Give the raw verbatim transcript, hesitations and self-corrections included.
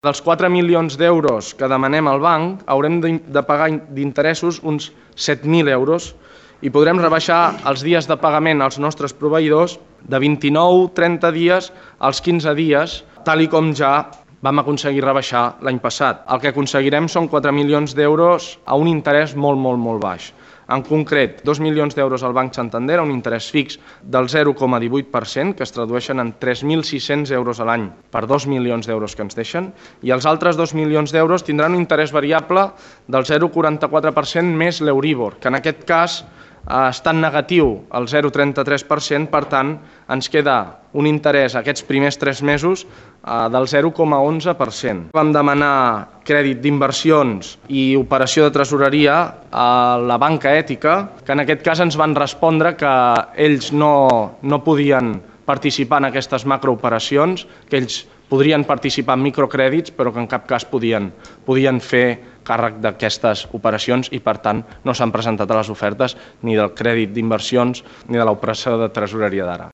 Dels quatre milions d'euros que demanem al banc, haurem de pagar d'interessos uns set mil euros i podrem rebaixar els dies de pagament als nostres proveïdors de vint-i-nou a trenta dies als quinze dies, tal i com ja vam aconseguir rebaixar l'any passat. El que aconseguirem són quatre milions d'euros a un interès molt, molt, molt baix. En concret, dos milions d'euros al Banc Santander a un interès fix del zero coma divuit per cent, que es tradueixen en tres mil sis-cents euros a l'any per dos milions d'euros que ens deixen, i els altres dos milions d'euros tindran un interès variable del zero coma quaranta-quatre per cent més l'Euríbor, que en aquest cas està en negatiu, el zero coma trenta-tres per cent, per tant, ens queda un interès aquests primers tres mesos del zero coma onze per cent. Vam demanar crèdit d'inversions i operació de tresoreria a la banca ètica, que en aquest cas ens van respondre que ells no, no podien participar en aquestes macrooperacions, que ells podrien participar en microcrèdits, però que en cap cas podien, podien fer càrrec d'aquestes operacions i, per tant, no s'han presentat a les ofertes ni del crèdit d'inversions ni de l'operació de tresoreria d'ara.